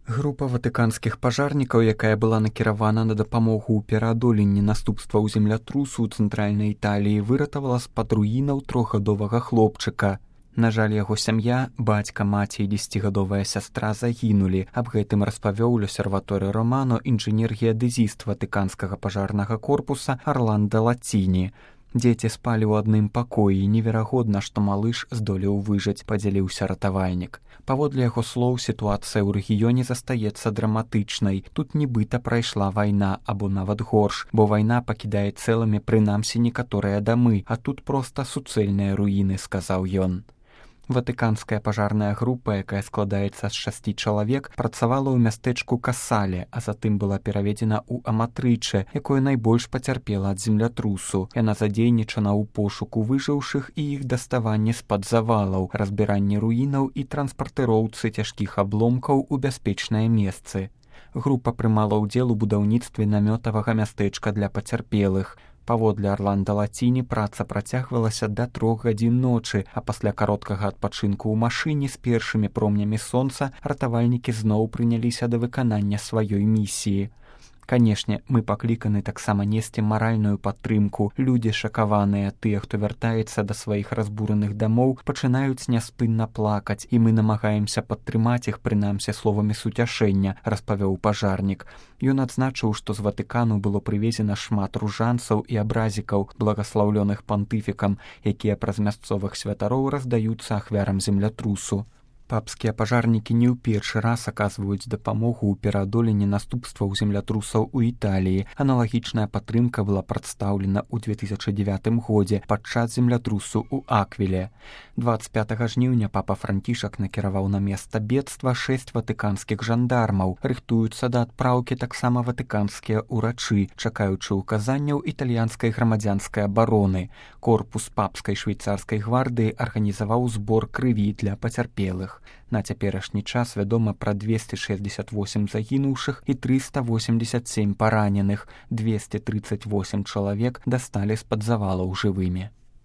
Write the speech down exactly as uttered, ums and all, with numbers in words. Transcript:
Група ватыканскіх пажарнікаў, якая была накіравана на дапамогу ў пераадоленні наступстваў землятрусу ў цэнтральнай Італіі, выратавала з-пад руінаў трохгадовага хлопчыка. На жаль, яго сям'я, бацька, маці і дзесяцігадовая сястра загінулі. Аб гэтым распавёў у Л'Осерваторе Романо інжынер-геадэзіст ватыканскага пажарнага корпуса Арландо Лаціні. Дзеці спалі ў адным пакоі, неверагодна, што малыш здолеў выжыць, падзяліўся ратавальнік. Паводле яго слоў, сітуацыя ў рэгіёне застаецца драматычнай. Тут нібыта прайшла вайна, або нават горш, бо вайна пакідае цэлымі прынамсі некаторыя дамы, а тут проста суцэльныя руіны, сказаў ён. Ватыканская пажарная група, якая складаецца з шасці чалавек, працавала ў мястэчку Касале, а затым была пераведзена ў Аматрыче, якое найбольш пацярпела ад землятрусу. Яна задзейнічана ў пошуку выжыўшых і іх даставанне з-пад завалаў, разбіранне руінаў і транспартыроўцы цяжкіх абломкаў у бяспечныя месцы. Група прымала ўдзел у будаўніцтве намётавага мястэчка для пацярпелых. Паводле Арландо Лаціні праца працягвалася да трох гадзін ночы, а пасля кароткага адпачынку ў машыне з першымі промнямі сонца ратавальнікі зноў прыняліся да выканання сваёй місіі. Канешне, мы пакліканы таксама несці маральную падтрымку. Людзі шакаваныя, тыя, хто вяртаецца да сваіх разбураных дамоў, пачынаюць няспынна плакаць, і мы намагаемся падтрымаць іх прынамсі словамі суцяшэння, распавёў пажарнік. Ён адзначыў, што з Ватыкану было прывезена шмат ружанцаў і абразікаў, благаслаўлёных пантыфікам, якія праз мясцовых святароў раздаюцца ахвярам землятрусу. Папскія пажарнікі не ў першы раз аказваюць дапамогу ў пераадоленні наступстваў землятрусаў у Італіі. Аналагічная падтрымка была прадстаўлена ў две тысячы дзевятым годзе падчас землятрусу ў Аквіле. дваццаць пятага жніўня папа Францішак накіраваў на месца бедства шэсць ватыканскіх жандармаў. Рыхтуюцца да адпраўкі таксама ватыканскія ўрачы, чакаючы ўказанняў італьянскай грамадзянскай абароны. Корпус папскай швейцарскай гвардыі арганізаваў збор крыві для пацярпелых. На цяперашні час вядома пра двесце шэсцьдзесят восем загінуўшых і трыста восемьдесят семь параненых, двесце трыццаць восем чалавек дасталі з-пад завалаў жывымі.